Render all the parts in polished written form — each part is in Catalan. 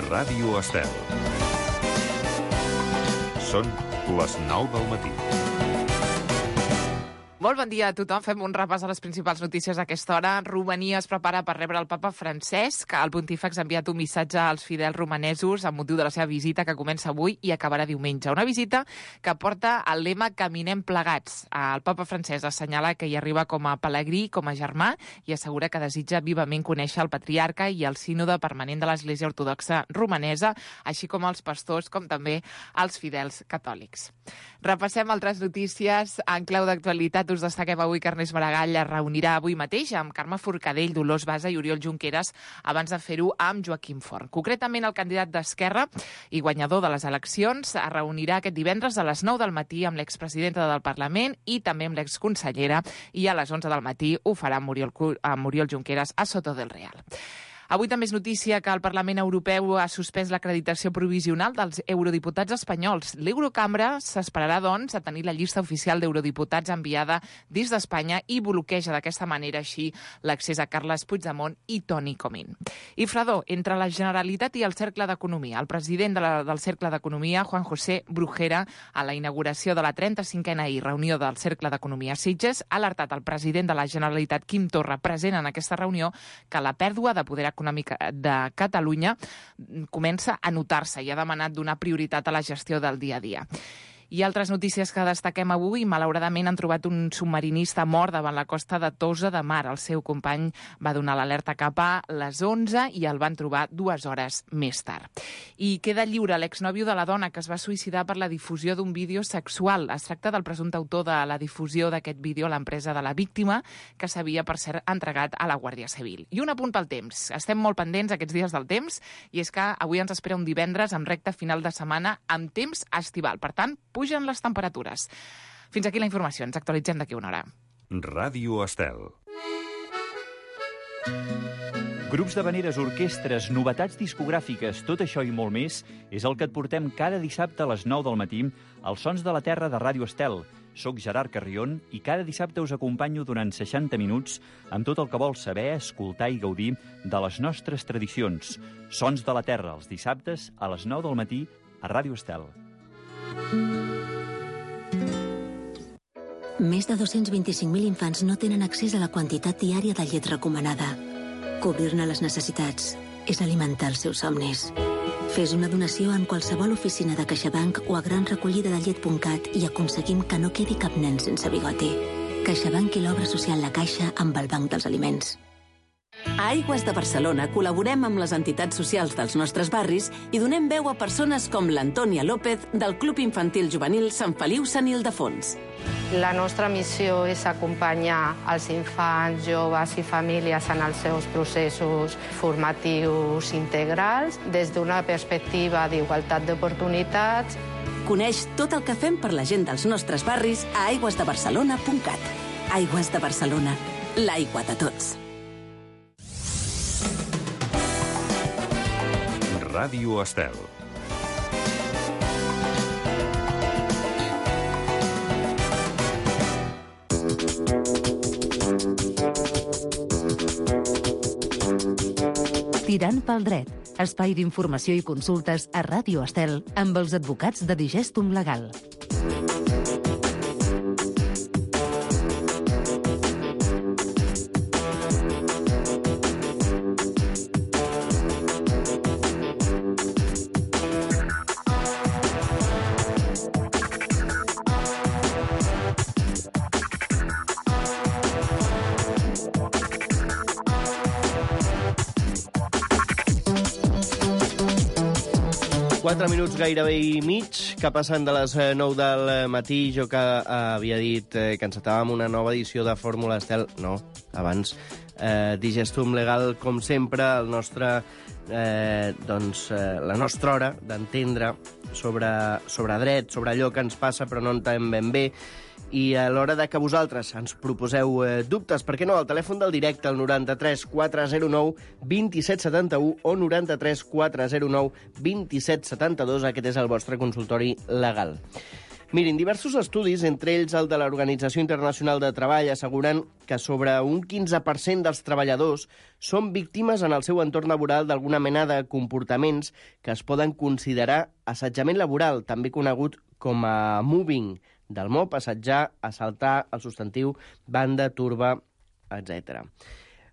Ràdio Estel. Són les 9 del matí. Molt bon dia a tothom. Fem un repàs a les principals notícies a aquesta hora. Romania es prepara per rebre el papa Francesc. El pontífex ha enviat un missatge als fidels romanesos amb motiu de la seva visita que comença avui i acabarà diumenge. Una visita que porta el lema Caminem plegats. El papa Francesc assenyala que hi arriba com a pelegrí, com a germà, i assegura que desitja vivament conèixer el patriarca i el sínode permanent de l'Església Ortodoxa Romanesa, així com els pastors, com també els fidels catòlics. Repassem altres notícies en clau d'actualitat. Us destaquem avui que Ernest Maragall es reunirà avui mateix amb Carme Forcadell, Dolors Bassa i Oriol Junqueras abans de fer-ho amb Joaquim Forn. Concretament, el candidat d'Esquerra i guanyador de les eleccions es reunirà aquest divendres a les 9 del matí amb l'expresidenta del Parlament i també amb l'exconsellera, i a les 11 del matí ho farà amb Oriol Junqueras a Soto del Real. Avui també és notícia que el Parlament Europeu ha suspès l'acreditació provisional dels eurodiputats espanyols. L'Eurocambra s'esperarà, doncs, a tenir la llista oficial d'eurodiputats enviada des d'Espanya i bloqueja d'aquesta manera així l'accés a Carles Puigdemont i Toni Comín. I fredor entre la Generalitat i el Cercle d'Economia. El president del Cercle d'Economia, Juan José Brujera, a la inauguració de la 35a reunió del Cercle d'Economia Sitges, ha alertat el president de la Generalitat, Quim Torra, present en aquesta reunió, que la pèrdua de poder econòmica de Catalunya comença a notar-se i ha demanat donar prioritat a la gestió del dia a dia. I altres notícies que destaquem avui: malauradament han trobat un submarinista mort davant la costa de Tossa de Mar. El seu company va donar l'alerta cap a les 11 i el van trobar 2 hores més tard. I queda lliure l'exnòvio de la dona que es va suïcidar per la difusió d'un vídeo sexual. Es tracta del presumpte autor de la difusió d'aquest vídeo a l'empresa de la víctima, que s'havia, per cert, entregat a la Guàrdia Civil. I un apunt pel temps. Estem molt pendents aquests dies del temps, i és que avui ens espera un divendres amb recta final de setmana amb temps estival. Per tant, pugen les temperatures. Fins aquí la informació. Ens actualitzem d'aquí una hora. Ràdio Estel. Grups d'havaneres, orquestres, novetats discogràfiques, tot això i molt més és el que et portem cada dissabte a les 9 del matí als Sons de la Terra de Ràdio Estel. Soc Gerard Carrion i cada dissabte us acompanyo durant 60 minuts amb tot el que vols saber, escoltar i gaudir de les nostres tradicions. Sons de la Terra, els dissabtes a les 9 del matí a Ràdio Estel. Més de 225.000 infants no tenen accés a la quantitat diària de llet recomanada. Cobrir-ne les necessitats és alimentar els seus somnis. Fes una donació en qualsevol oficina de CaixaBank o a granrecollidadellet.cat i aconseguim que no quedi cap nen sense bigoti. CaixaBank i l'obra social La Caixa amb el Banc dels Aliments. A Aigües de Barcelona col·laborem amb les entitats socials dels nostres barris i donem veu a persones com l'Antònia López del Club Infantil Juvenil Sant Feliu Sant Ildefons. La nostra missió és acompanyar els infants, joves i famílies en els seus processos formatius integrals des d'una perspectiva d'igualtat d'oportunitats. Coneix tot el que fem per la gent dels nostres barris a aigüesdebarcelona.cat. Aigües de Barcelona, l'aigua de tots. Ràdio Estel. Tirant pel dret, espai d'informació i consultes a Ràdio Estel amb els advocats de Digestum Legal. Minuts gairebé i mig, que passen de les 9 del matí. Jo que havia dit que encetàvem una nova edició de Fórmula Estel. No, abans. Digestum Legal, com sempre, el nostre, la nostra hora d'entendre sobre dret, sobre allò que ens passa però no entenem ben bé. I a l'hora de que vosaltres ens proposeu dubtes, per què no, al telèfon del directe, el 93 409 2771 o 93 409 2772, aquest és el vostre consultori legal. Mirin, diversos estudis, entre ells el de l'Organització Internacional de Treball, asseguren que sobre un 15% dels treballadors són víctimes en el seu entorn laboral d'alguna mena de comportaments que es poden considerar assetjament laboral, també conegut com a moving, del mot assetjar, assaltar, el substantiu, banda, turba, etc.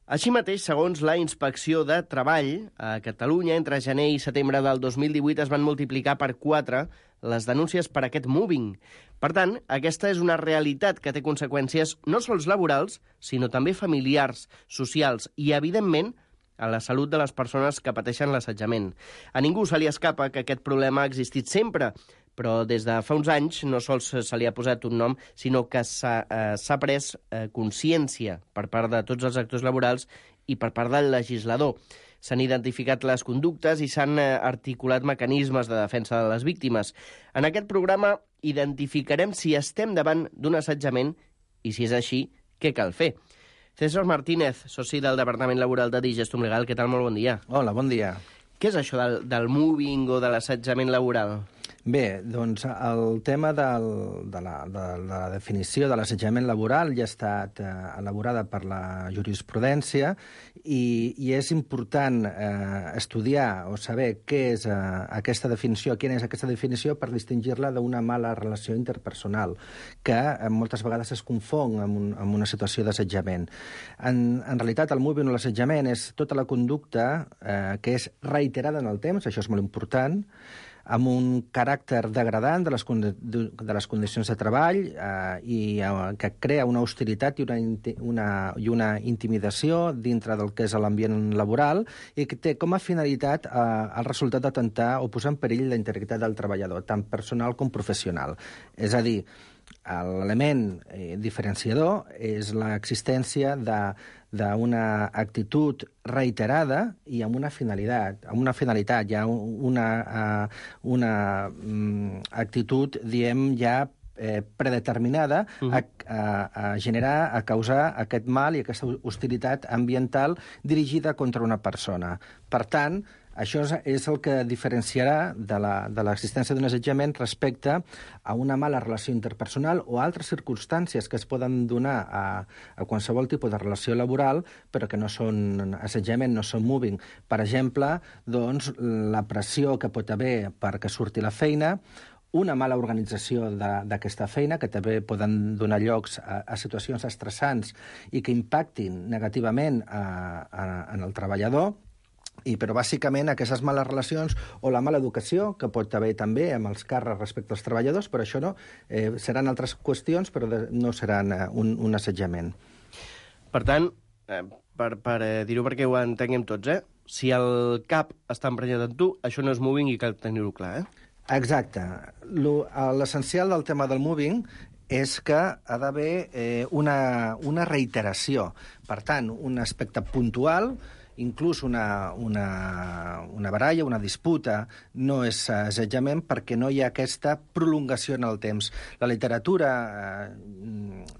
Així mateix, segons la Inspecció de Treball, a Catalunya, entre gener i setembre del 2018 es van multiplicar per 4 les denúncies per aquest moving. Per tant, aquesta és una realitat que té conseqüències no sols laborals, sinó també familiars, socials i, evidentment, a la salut de les persones que pateixen l'assetjament. A ningú se li escapa que aquest problema ha existit sempre, però des de fa uns anys no sols se li ha posat un nom, sinó que s'ha pres consciència per part de tots els actors laborals i per part del legislador. S'han identificat les conductes i s'han articulat mecanismes de defensa de les víctimes. En aquest programa identificarem si estem davant d'un assetjament i, si és així, què cal fer. César Martínez, soci del Departament Laboral de Digestum Legal, què tal? Molt bon dia. Hola, bon dia. Què és això del moving o de l'assetjament laboral? Bé, doncs el tema de la definició de l'assetjament laboral ja ha estat elaborada per la jurisprudència i és important estudiar o saber què és aquesta definició, quina és aquesta definició per distingir-la d'una mala relació interpersonal, que moltes vegades es confon amb una situació d'assetjament. En realitat, el moving o l'assetjament és tota la conducta que és reiterada en el temps, això és molt important, amb un caràcter degradant de les condicions de treball i que crea una hostilitat i una intimidació dintre del que és l'ambient laboral i que té com a finalitat el resultat d'atemptar o posar en perill la integritat del treballador, tant personal com professional. És a dir, l'element diferenciador és l'existència d'una actitud reiterada i amb una finalitat. Amb una finalitat, hi ha una actitud, diem, ja predeterminada a generar, a causar aquest mal i aquesta hostilitat ambiental dirigida contra una persona. Per tant, això és el que diferenciarà de l'existència d'un assetjament respecte a una mala relació interpersonal o altres circumstàncies que es poden donar a qualsevol tipus de relació laboral, però que no són assetjament, no són moving. Per exemple, doncs, la pressió que pot haver perquè surti la feina, una mala organització d'aquesta feina, que també poden donar llocs a situacions estressants i que impactin negativament en el treballador, però bàsicament aquestes males relacions o la mala educació que pot haver també amb els càrrecs respecte als treballadors, però això no, seran altres qüestions, però no seran un assetjament. Per tant, per dir-ho perquè ho entenguem tots, si el cap està emprenyat en tu, això no és moving i cal tenir-ho clar, Exacte. L'essencial del tema del moving és que ha d'haver una reiteració. Per tant, un aspecte puntual, inclús una baralla, una disputa, no és assetjament perquè no hi ha aquesta prolongació en el temps. La literatura,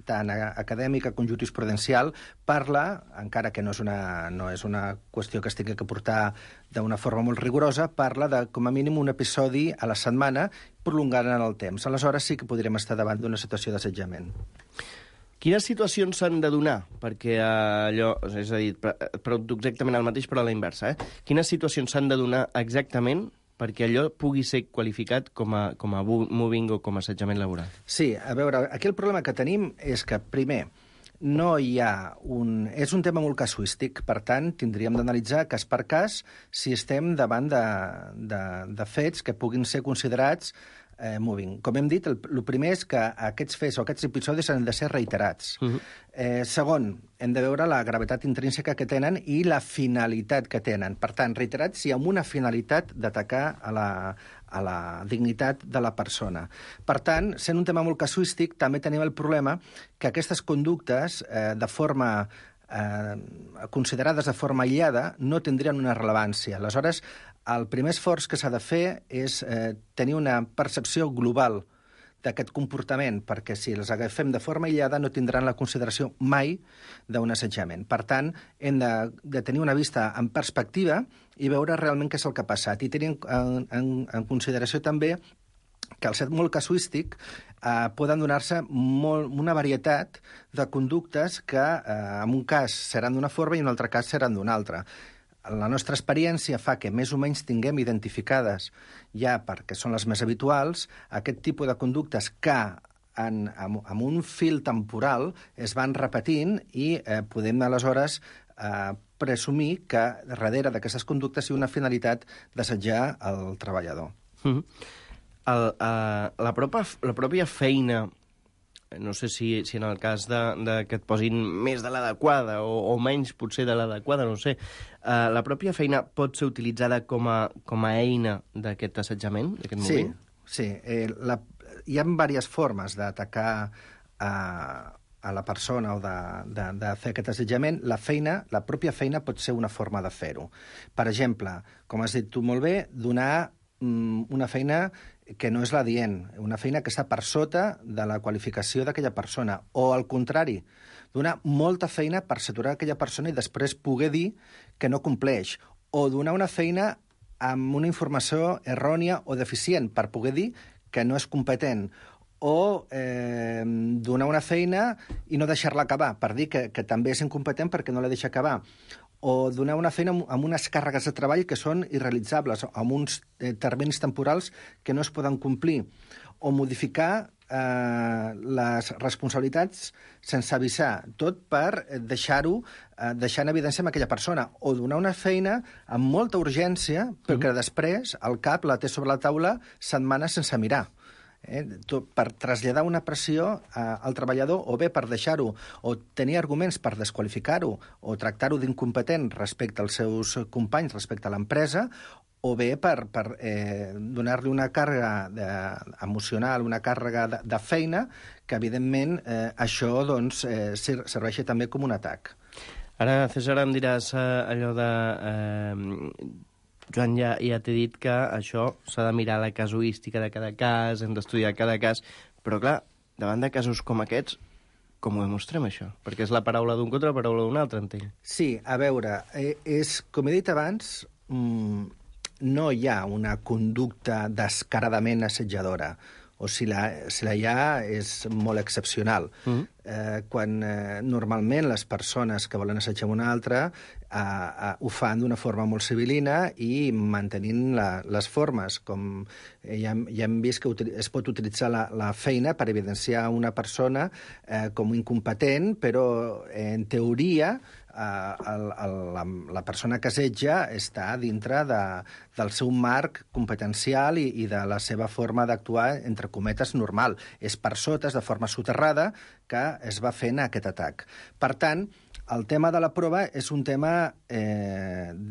tant acadèmica com jurisprudencial, parla, encara que no és una qüestió que es tingui que portar d'una forma molt rigorosa, parla de, com a mínim, un episodi a la setmana prolongant en el temps. Aleshores sí que podríem estar davant d'una situació d'assetjament. Quines situacions s'han de donar perquè allò, és a dir, exactament el mateix però a la inversa, Quines situacions s'han de donar exactament perquè allò pugui ser qualificat com a moving o com a assetjament laboral? Sí, a veure, aquí el problema que tenim és que, primer, no hi ha és un tema molt casuístic, per tant, tindríem d'analitzar cas per cas si estem davant de fets que puguin ser considerats moving. Com hem dit, el primer és que aquests fets o aquests episodis han de ser reiterats. Segon, hem de veure la gravetat intrínseca que tenen i la finalitat que tenen. Per tant, reiterats i amb una finalitat d'atacar a la dignitat de la persona. Per tant, sent un tema molt casuístic, també tenim el problema que aquestes conductes, considerades de forma aïllada, no tindrien una rellevància. Aleshores, el primer esforç que s'ha de fer és tenir una percepció global d'aquest comportament, perquè si les agafem de forma aïllada no tindran la consideració mai d'un assetjament. Per tant, hem de tenir una vista en perspectiva i veure realment què és el que ha passat. I tenir en consideració també que al ser molt casuístic poden donar-se una varietat de conductes que en un cas seran d'una forma i en un altre cas seran d'una altra. La nostra experiència fa que més o menys tinguem identificades, ja perquè són les més habituals, aquest tipus de conductes que amb un fil temporal es van repetint i podem aleshores presumir que darrere d'aquestes conductes hi ha una finalitat d'assetjar el treballador. La pròpia feina, no sé si en el cas que et posin més de l'adequada o menys potser de l'adequada, no sé, la pròpia feina pot ser utilitzada com a eina d'aquest assetjament, d'aquest moviment? Sí. Hi ha diverses formes d'atacar a la persona o de fer aquest assetjament. La pròpia feina pot ser una forma de fer-ho. Per exemple, com has dit tu molt bé, donar una feina que no és l'adient, una feina que està per sota de la qualificació d'aquella persona, o al contrari, donar molta feina per saturar aquella persona i després poder dir que no compleix, o donar una feina amb una informació errònia o deficient per poder dir que no és competent, o donar una feina i no deixar-la acabar, per dir que també és incompetent perquè no la deixa acabar, o donar una feina amb unes càrregues de treball que són irrealitzables, amb uns terminis temporals que no es poden complir, o modificar les responsabilitats sense avisar, tot per deixar en evidència amb aquella persona, o donar una feina amb molta urgència, perquè després el cap la té sobre la taula setmanes sense mirar. Per traslladar una pressió al treballador, o bé per deixar-ho, o tenir arguments per desqualificar-ho, o tractar-ho d'incompetent respecte als seus companys, respecte a l'empresa, o bé per donar-li una càrrega emocional, una càrrega de feina, que evidentment això serveixi també com un atac. Ara, César, em diràs allò de... Joan, ja t'he dit que això s'ha de mirar la casuística de cada cas, hem d'estudiar cada cas, però clar, davant de casos com aquests, com ho demostrem, això? Perquè és la paraula d'un contra la paraula d'un altre, entenc. Sí, a veure, com he dit abans, no hi ha una conducta descaradament assetjadora, o si la hi ha és molt excepcional. Quan normalment les persones que volen assetjar una altra ho fan d'una forma molt civilina i mantenint les formes, com ja hem vist que es pot utilitzar la feina per evidenciar una persona com incompetent, però en teoria la persona que assetja està dintre del seu marc competencial i de la seva forma d'actuar, entre cometes, normal. És per sota, és de forma soterrada, que es va fent aquest atac. Per tant, el tema de la prova és un tema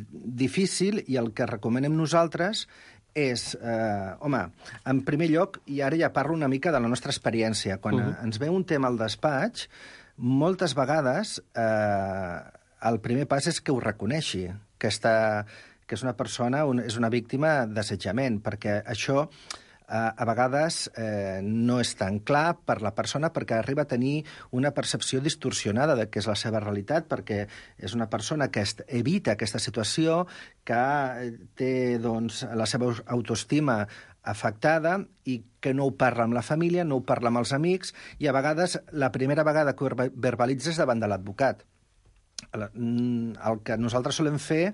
difícil i el que recomanem nosaltres és, en primer lloc, i ara ja parlo una mica de la nostra experiència, quan ens ve un tema al despatx, moltes vegades el primer pas és que ho reconeixi, que és una persona, és una víctima d'assetjament, perquè això a vegades no és tan clar per la persona perquè arriba a tenir una percepció distorsionada de què és la seva realitat, perquè és una persona que evita aquesta situació, que té la seva autoestima afectada i que no ho parla amb la família, no ho parla amb els amics, i a vegades la primera vegada que ho verbalitza és davant de l'advocat. El que nosaltres solem fer,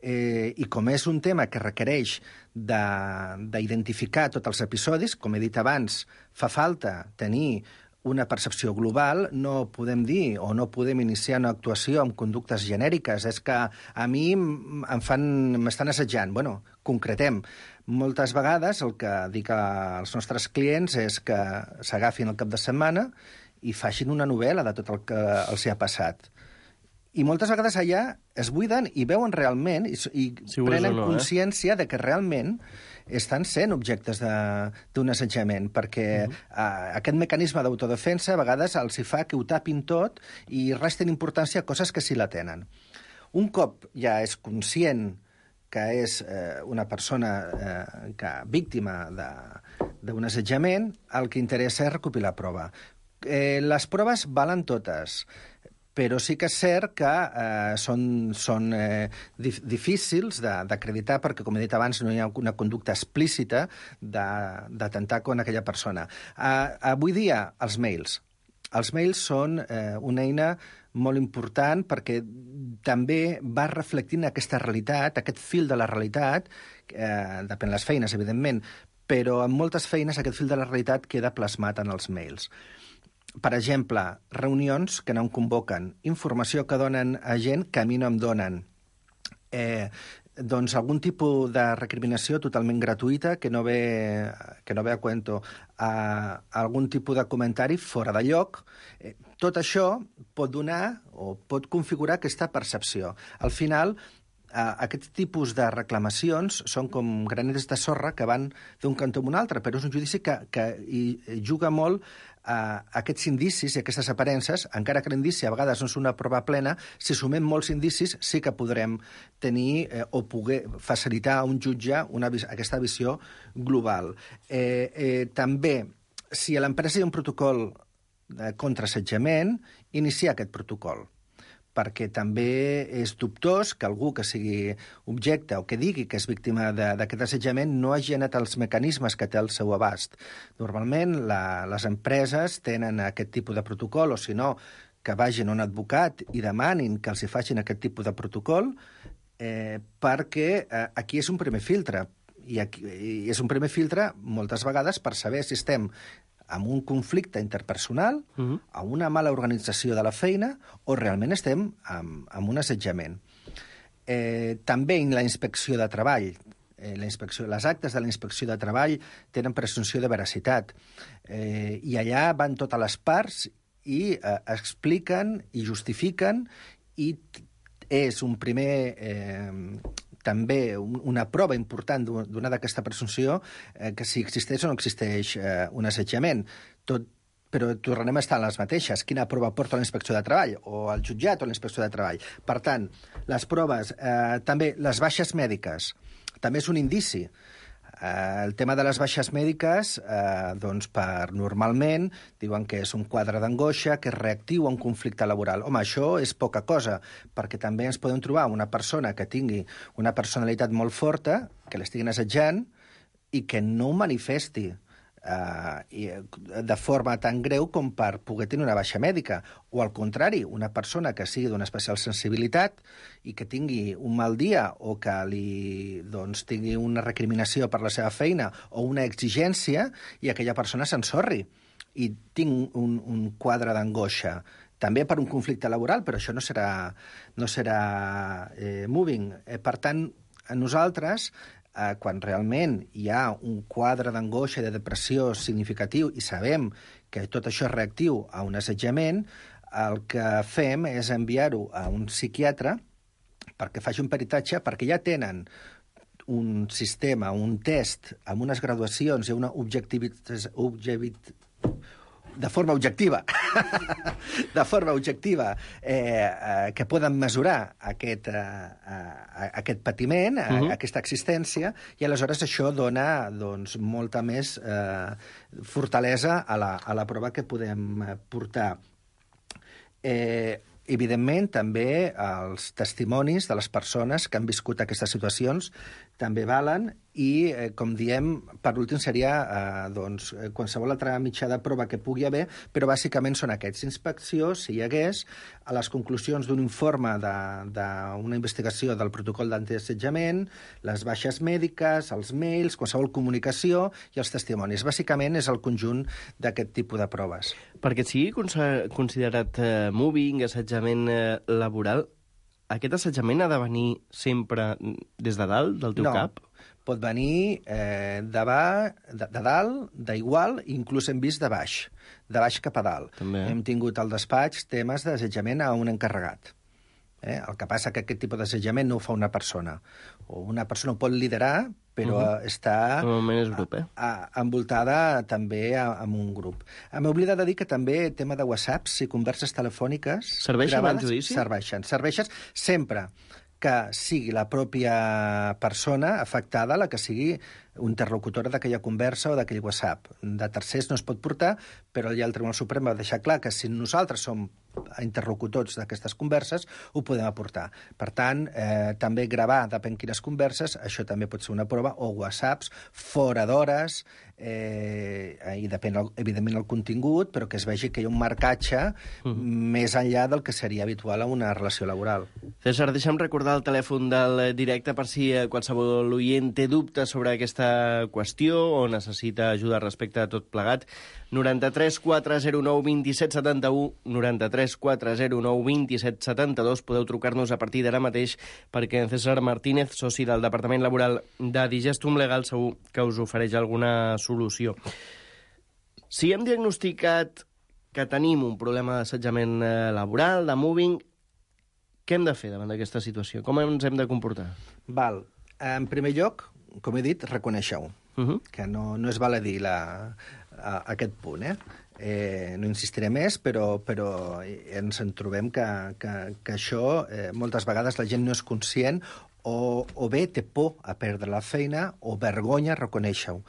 i com és un tema que requereix d'identificar tots els episodis, com he dit abans, fa falta tenir una percepció global, no podem dir o no podem iniciar una actuació amb conductes genèriques. És que a mi m'estan assetjant. Bueno, concretem. Moltes vegades el que dic als nostres clients és que s'agafin el cap de setmana i facin una novel·la de tot el que els ha passat. I moltes vegades allà es buiden i veuen realment i prenen consciència de que realment estan sent objectes d'un assetjament, perquè aquest mecanisme d'autodefensa a vegades els hi fa que ho tapin tot i resten importància a coses que sí la tenen. Un cop ja és conscient que és una persona víctima d'un assetjament, el que interessa és recopilar prova. Les proves valen totes. però sí que és cert que són difícils d'acreditar perquè, com he dit abans, no hi ha una conducta explícita d'atemptar contra aquella persona. Avui dia, els mails. Els mails són una eina molt important perquè també va reflectint aquesta realitat, aquest fil de la realitat, depèn de les feines, evidentment, però en moltes feines aquest fil de la realitat queda plasmat en els mails. Per exemple, reunions que no em convoquen, informació que donen a gent que a mi no em donen, doncs algun tipus de recriminació totalment gratuïta que no ve a cuento, algun tipus de comentari fora de lloc. Tot això pot donar o pot configurar aquesta percepció. Al final, aquest tipus de reclamacions són com granets de sorra que van d'un cantó a un altre, però és un judici que hi juga molt aquests indicis i aquestes aparences, encara que l'indici a vegades no és una prova plena, si sumem molts indicis sí que podrem tenir o poder facilitar a un jutge aquesta visió global. També, si a l'empresa hi ha un protocol contra assetjament, iniciar aquest protocol, perquè també és dubtós que algú que sigui objecte o que digui que és víctima d'aquest assetjament no hagi anat als mecanismes que té al seu abast. Normalment les empreses tenen aquest tipus de protocol, o si no, que vagin a un advocat i demanin que els hi facin aquest tipus de protocol, perquè aquí és un primer filtre. I és un primer filtre moltes vegades per saber si estem amb un conflicte interpersonal, amb una mala organització de la feina, o realment estem amb un assetjament. També en la inspecció de treball. Les actes de la inspecció de treball tenen presumpció de veracitat. I allà van totes les parts i expliquen i justifiquen, i és un primer... també una prova important d'una d'aquesta presumpció que si existeix o no existeix un assetjament. Però tornarem a estar en les mateixes. Quina prova porta la inspecció de treball, o el jutjat o la inspecció de treball. Per tant, les proves, també les baixes mèdiques, també és un indici. El tema de les baixes mèdiques, doncs normalment diuen que és un quadre d'angoixa, que és reactiu a un conflicte laboral. Home, això és poca cosa, perquè també ens podem trobar una persona que tingui una personalitat molt forta, que l'estiguin assetjant, i que no ho manifesti de forma tan greu com per poder tenir una baixa mèdica. O al contrari, una persona que sigui d'una especial sensibilitat i que tingui un mal dia o que tingui una recriminació per la seva feina o una exigència, i aquella persona s'ensorri i tinc un quadre d'angoixa. També per un conflicte laboral, però això no serà moving. Per tant, a nosaltres, quan realment hi ha un quadre d'angoixa i de depressió significatiu i sabem que tot això és reactiu a un assetjament, el que fem és enviar-ho a un psiquiatre perquè faci un peritatge, perquè ja tenen un sistema, un test amb unes graduacions i una de forma objectiva, que poden mesurar aquest patiment, aquesta existència, i aleshores això dona molta més fortalesa a la prova que podem portar. Evidentment, també els testimonis de les persones que han viscut aquestes situacions també valen, i, com diem, per últim seria qualsevol altra mitjà de prova que pugui haver, però bàsicament són aquests. Inspecció, si hi hagués, a les conclusions d'un informe d'una investigació del protocol d'antiassetjament, les baixes mèdiques, els mails, qualsevol comunicació i els testimonis. Bàsicament és el conjunt d'aquest tipus de proves. Perquè sigui considerat mobbing, assetjament laboral, aquest assetjament ha de venir sempre des de dalt, del teu cap? Pot venir de dalt, d'igual, inclús hem vist de baix cap a dalt. També. Hem tingut al despatx temes d'assetjament a un encarregat. El que passa que aquest tipus d'assetjament no ho fa una persona. O una persona ho pot liderar, però està normalment és grup, envoltada també amb un grup. M'he oblidat de dir que també tema de WhatsApps i converses telefòniques... Serveixen al judici? Serveixen sempre que sigui la pròpia persona afectada la que sigui interlocutora d'aquella conversa o d'aquell WhatsApp. De tercers no es pot portar, però ja el Tribunal Suprem va deixar clar que si nosaltres som interlocutors d'aquestes converses, ho podem aportar. Per tant, també gravar, depèn quines converses, això també pot ser una prova, o whatsapps, fora d'hores, i depèn, evidentment, el contingut, però que es vegi que hi ha un marcatge més enllà del que seria habitual a una relació laboral. César, deixa'm recordar el telèfon del directe per si qualsevol oient té dubtes sobre aquesta qüestió o necessita ajuda respecte a tot plegat. 93 409 27 71, 93 409 27 72. Podeu trucar-nos a partir d'ara mateix perquè en César Martínez, soci del Departament Laboral de Digestum Legal, segur que us ofereix alguna solució. Si hem diagnosticat que tenim un problema d'assetjament laboral, de moving, què hem de fer davant d'aquesta situació? Com ens hem de comportar? Val. En primer lloc, com he dit, reconèixer-ho. Que no és val a dir aquest punt, no insistiré més, però ens en trobem que això, moltes vegades la gent no és conscient o bé té por a perdre la feina o vergonya reconèixer-ho.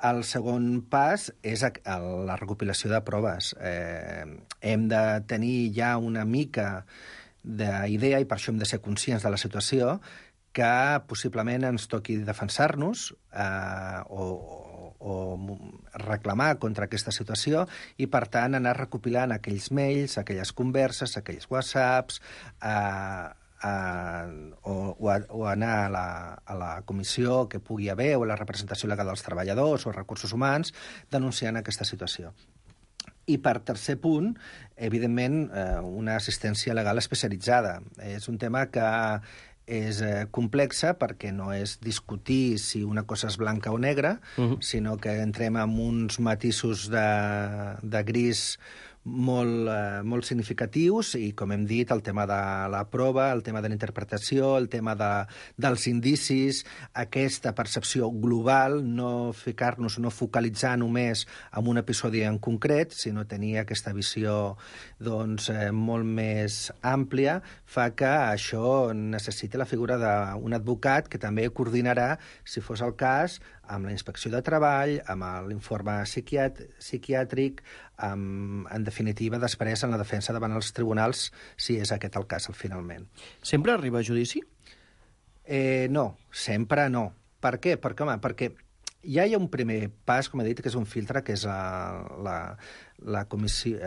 El segon pas és la recopilació de proves. Hem de tenir ja una mica d'idea, i per això hem de ser conscients de la situació, que possiblement ens toqui defensar-nos o reclamar contra aquesta situació i, per tant, anar recopilant aquells mails, aquelles converses, aquells whatsapps, o anar a la comissió que pugui haver o a la representació legal dels treballadors o recursos humans denunciant aquesta situació. I per tercer punt, evidentment, una assistència legal especialitzada. És un tema que és complexa perquè no és discutir si una cosa és blanca o negra, sinó que entrem en uns matisos de gris molt significatius i, com hem dit, el tema de la prova, el tema de la interpretació, el tema dels indicis, aquesta percepció global, no ficar-nos, no focalitzar només en un episodi en concret, sinó tenir aquesta visió molt més àmplia, fa que això necessiti la figura d'un advocat que també coordinarà, si fos el cas, amb la inspecció de treball, amb l'informe psiquiàtric, en definitiva, després en la defensa davant els tribunals, si és aquest el cas, finalment. Sempre arriba a judici? No, sempre no. Per què? Perquè ja hi ha un primer pas, com he dit, que és un filtre, que és la comissió,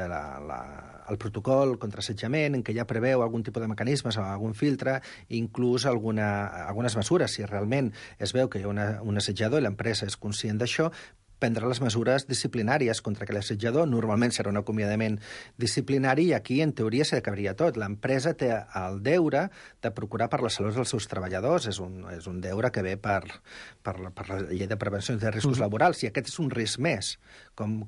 el protocol contra assetjament, en què ja preveu algun tipus de mecanismes o algun filtre, inclús algunes mesures. Si realment es veu que hi ha un assetjador i l'empresa és conscient d'això, prendre les mesures disciplinàries contra aquell assetjador. Normalment serà un acomiadament disciplinari i aquí, en teoria, s'acabaria tot. L'empresa té el deure de procurar per la salut dels seus treballadors. És un deure que ve per la llei de prevenció de riscos laborals. I aquest és un risc més. Com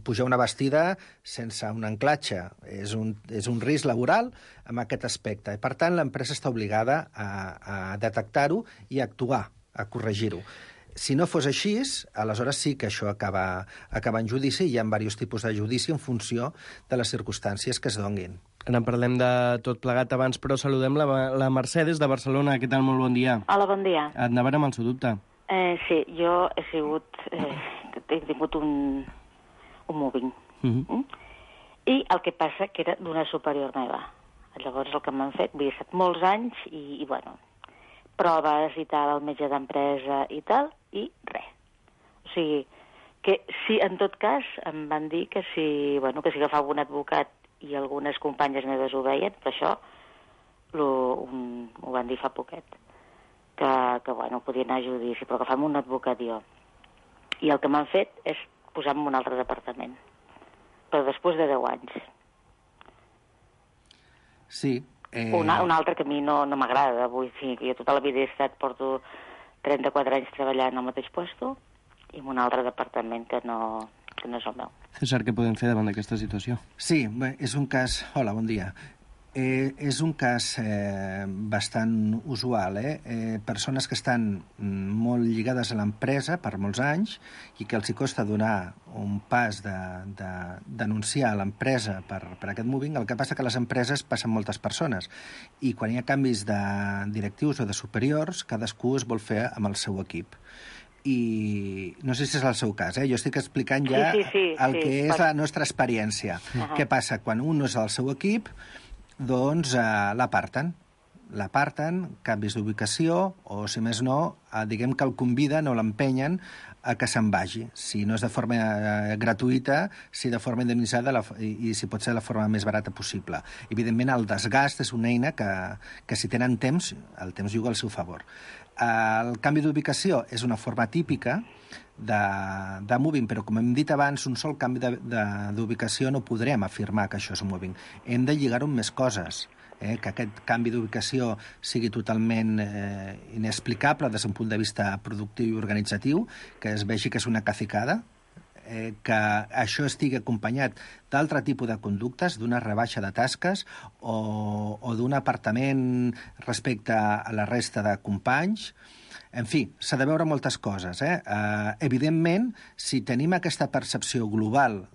pujar una bastida sense un anclatge. És un risc laboral en aquest aspecte. I, per tant, l'empresa està obligada a detectar-ho i a actuar, a corregir-ho. Si no fos així, aleshores sí que això acaba en judici i hi ha diversos tipus de judici en funció de les circumstàncies que es donin. Ara en parlem de tot plegat abans, però saludem la Mercè des de Barcelona. Què tal? Molt bon dia. Hola, bon dia. Et anaven amb el seu dubte. Sí, jo he tingut un moving. I el que passa que era d'una superior meva. Llavors el que m'han fet, vull dir, estat molts anys i bueno, proves i tal, el metge d'empresa i tal, i res. O sigui, que sí, en tot cas, em van dir que si agafava un advocat i algunes companyes meves ho veien, però això ho van dir fa poquet, que podia anar a judici, però agafar-me un advocat jo. I el que m'han fet és posar-me en un altre departament, però després de 10 anys. Sí. Un altre que a mi no m'agrada. Vull dir que jo tota la vida porto 34 anys treballant al mateix lloc i en un altre departament que no és el meu. César, què podem fer davant d'aquesta situació? Sí, és un cas... Hola, bon dia. És un cas bastant usual, persones que estan molt lligades a l'empresa per molts anys i que els hi costa donar un pas de denunciar a l'empresa per aquest moving. El que passa que a les empreses passen moltes persones i quan hi ha canvis de directius o de superiors, cadascú es vol fer amb el seu equip. i no sé si és el seu cas, jo estic explicant ja el que és la nostra experiència. Què passa? Quan un no és al seu equip, doncs l'aparten, canvis d'ubicació, o si més no, diguem que el conviden o l'empenyen a que se'n vagi. Si no és de forma gratuïta, si de forma indemnitzada i si pot ser de la forma més barata possible. Evidentment, el desgast és una eina que si tenen temps, el temps juga al seu favor. El canvi d'ubicació és una forma típica de moving, però com hem dit abans, un sol canvi d'ubicació no podrem afirmar que això és moving. Hem de lligar-ho amb més coses. Que aquest canvi d'ubicació sigui totalment inexplicable des d'un punt de vista productiu i organitzatiu, que es vegi que és una cacicada, que això estigui acompanyat d'altre tipus de conductes, d'una rebaixa de tasques o d'un apartament respecte a la resta de companys. En fi, s'ha de veure moltes coses. Evidentment, si tenim aquesta percepció global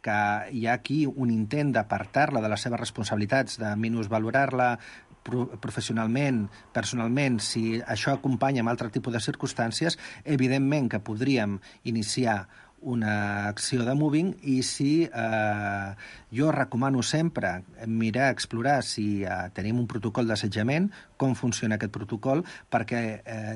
que hi ha aquí un intent d'apartar-la de les seves responsabilitats, de minusvalorar-la professionalment, personalment, si això acompanya amb altre tipus de circumstàncies, evidentment que podríem iniciar una acció de moving i si jo recomano sempre mirar, explorar si tenim un protocol d'assetjament, com funciona aquest protocol, perquè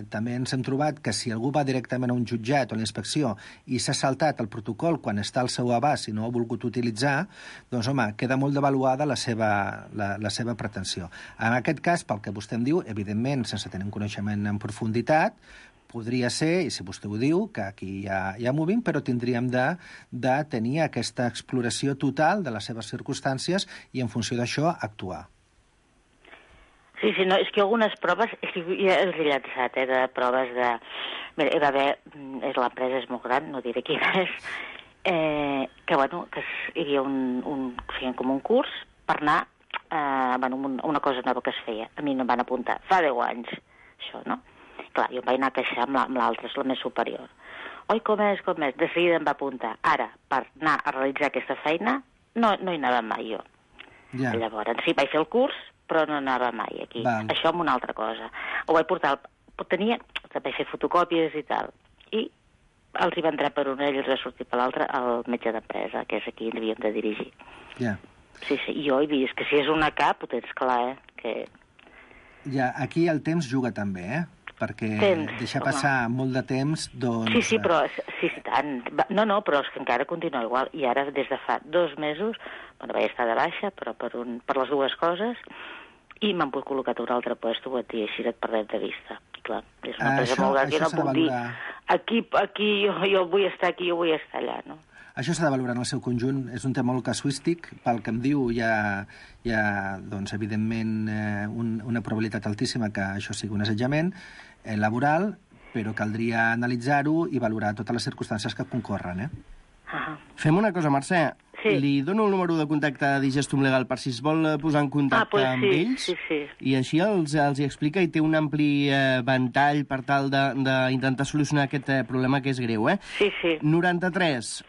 també ens hem trobat que si algú va directament a un jutjat o a la inspecció i s'ha saltat el protocol quan està al seu abast i no ha volgut utilitzar, doncs, home, queda molt devaluada la seva pretensió. En aquest cas, pel que vostè em diu, evidentment, sense tenir un coneixement en profunditat, podria ser, i si vostè ho diu, que aquí hi ha moving, però tindríem de tenir aquesta exploració total de les seves circumstàncies i en funció d'això actuar. Sí, no, és que algunes proves, ja els he llançat, de proves de... Mira, hi va haver, l'empresa és molt gran, no diré quina és, que hi havia feien com un curs per anar a una cosa nova que es feia. A mi no em van apuntar, fa 10 anys, això, no? Clar, jo em vaig anar a queixar amb l'altre, és la més superior. Oi, com és? De seguida em va apuntar. Ara, per anar a realitzar aquesta feina, no hi anava mai jo. Ja. Llavors, sí, vaig fer el curs, però no anava mai aquí. Val. Això amb una altra cosa. Ho vaig portar, vaig fer fotocòpies i tal. I els hi va entrar per una i els va sortir per l'altra el metge d'empresa, que és aquí on havíem de dirigir. Ja. Sí, jo he vist que si és una cap, ho tens clar, que... Ja, aquí el temps juga també, perquè deixar passar molt de temps, doncs... Sí, però... Sí, tant. No, però és que encara continua igual. I ara, des de fa 2 mesos, vaig estar de baixa, però per les dues coses, i m'han col·locat un altre puesto, i així et perdem de vista. I clar, és una empresa molt gran que no puc dir aquí jo vull estar aquí, jo vull estar allà, no? Això s'ha de valorar en el seu conjunt. És un tema molt casuístic. Pel que em diu, hi ha doncs, evidentment, una probabilitat altíssima que això sigui un assetjament laboral, però caldria analitzar-ho i valorar totes les circumstàncies que concorren. Fem una cosa, Mercè. Sí. Li dono el número de contacte de Digestum Legal per si es vol posar en contacte amb ells. Sí. I així els hi explica i té un ampli ventall per tal d'intentar solucionar aquest problema que és greu. Sí. 93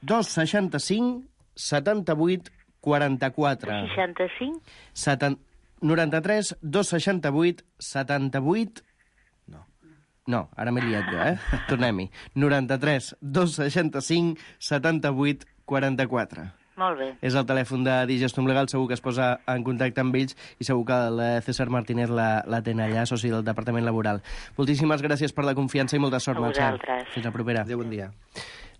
265 78 44. 65? 93 268 78... No, ara m'he liat jo, Tornem-hi. 93 265 78 44. Molt bé. És el telèfon de Digestum Legal, segur que es posa en contacte amb ells i segur que el César Martínez l'atén allà, soci del Departament Laboral. Moltíssimes gràcies per la confiança i molta sort, Mercè. Fins la propera. Adéu, bon dia.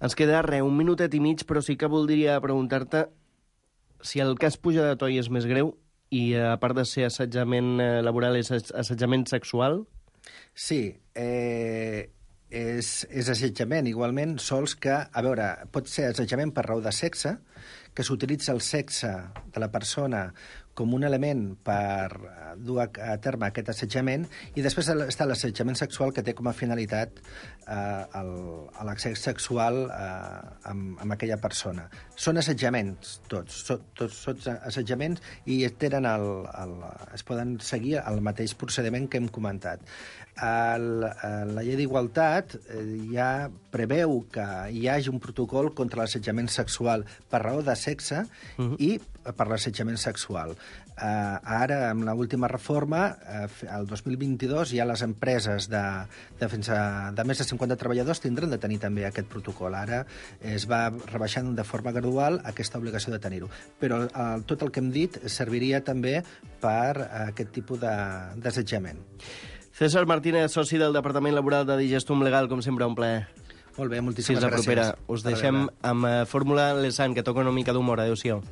Ens queda un minutet i mig, però sí que voldria preguntar-te si el cas Puja de Toi és més greu i, a part de ser assetjament laboral, és assetjament sexual? Sí, és assetjament igualment, sols que, a veure, pot ser assetjament per raó de sexe, que s'utilitza el sexe de la persona com un element per dur a terme aquest assetjament, i després està l'assetjament sexual, que té com a finalitat l'accés sexual amb aquella persona. Són assetjaments, tots assetjaments, i tenen es poden seguir el mateix procediment que hem comentat. La llei d'igualtat ja preveu que hi hagi un protocol contra l'assetjament sexual per raó de sexe i per l'assetjament sexual. Ara, amb l'última reforma, el 2022, ja les empreses de més de 50 treballadors tindran de tenir també aquest protocol. Ara es va rebaixant de forma gradual aquesta obligació de tenir-ho. Però tot el que hem dit serviria també per aquest tipus d'assetjament. César Martínez, soci del Departament Laboral de Digestum Legal, com sempre, un plaer. Molt bé, moltíssimes gràcies. Fins la propera. Gràcies. Us deixem amb Fórmula Lesan, que toca una mica d'humor. Adéu-siau.